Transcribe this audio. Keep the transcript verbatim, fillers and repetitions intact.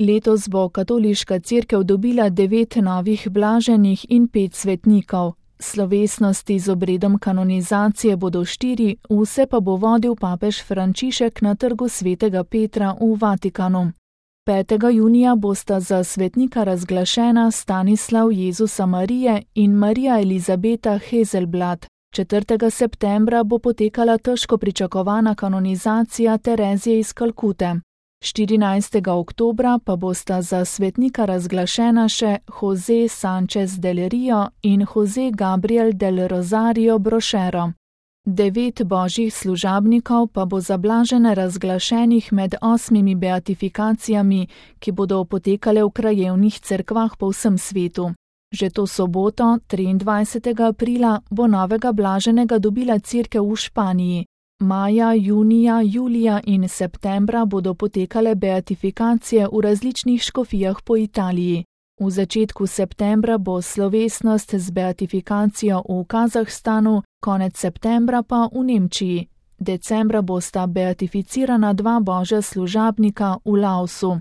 Letos bo katoliška cerkev dobila devet novih blaženih in pet svetnikov. Slovesnosti z obredom kanonizacije bodo štiri, vse pa bo vodil papež Frančišek na trgu svetega Petra v Vatikanu. petega junija bosta za svetnika razglašena Stanislav Jezusa Marije in Marija Elizabeta Hazelblad. četrtega septembra bo potekala težko pričakovana kanonizacija Terezije iz Kalkute. štirinajstega oktobra pa bosta za svetnika razglašena še José Sánchez del Río in José Gabriel del Rosario Brochero. Devet božjih služabnikov pa bo za blažene razglašenih med osmimi beatifikacijami, ki bodo potekale v krajevnih cerkvah po vsem svetu. Že to soboto, triindvajsetega aprila, bo novega blaženega dobila cerkev v Španiji. Maja, junija, julija in septembra bodo potekale beatifikacije v različnih škofijah po Italiji. V začetku septembra bo slovesnost z beatifikacijo v Kazahstanu, konec septembra pa v Nemčiji. Decembra bosta beatificirana dva božja služabnika v Laosu.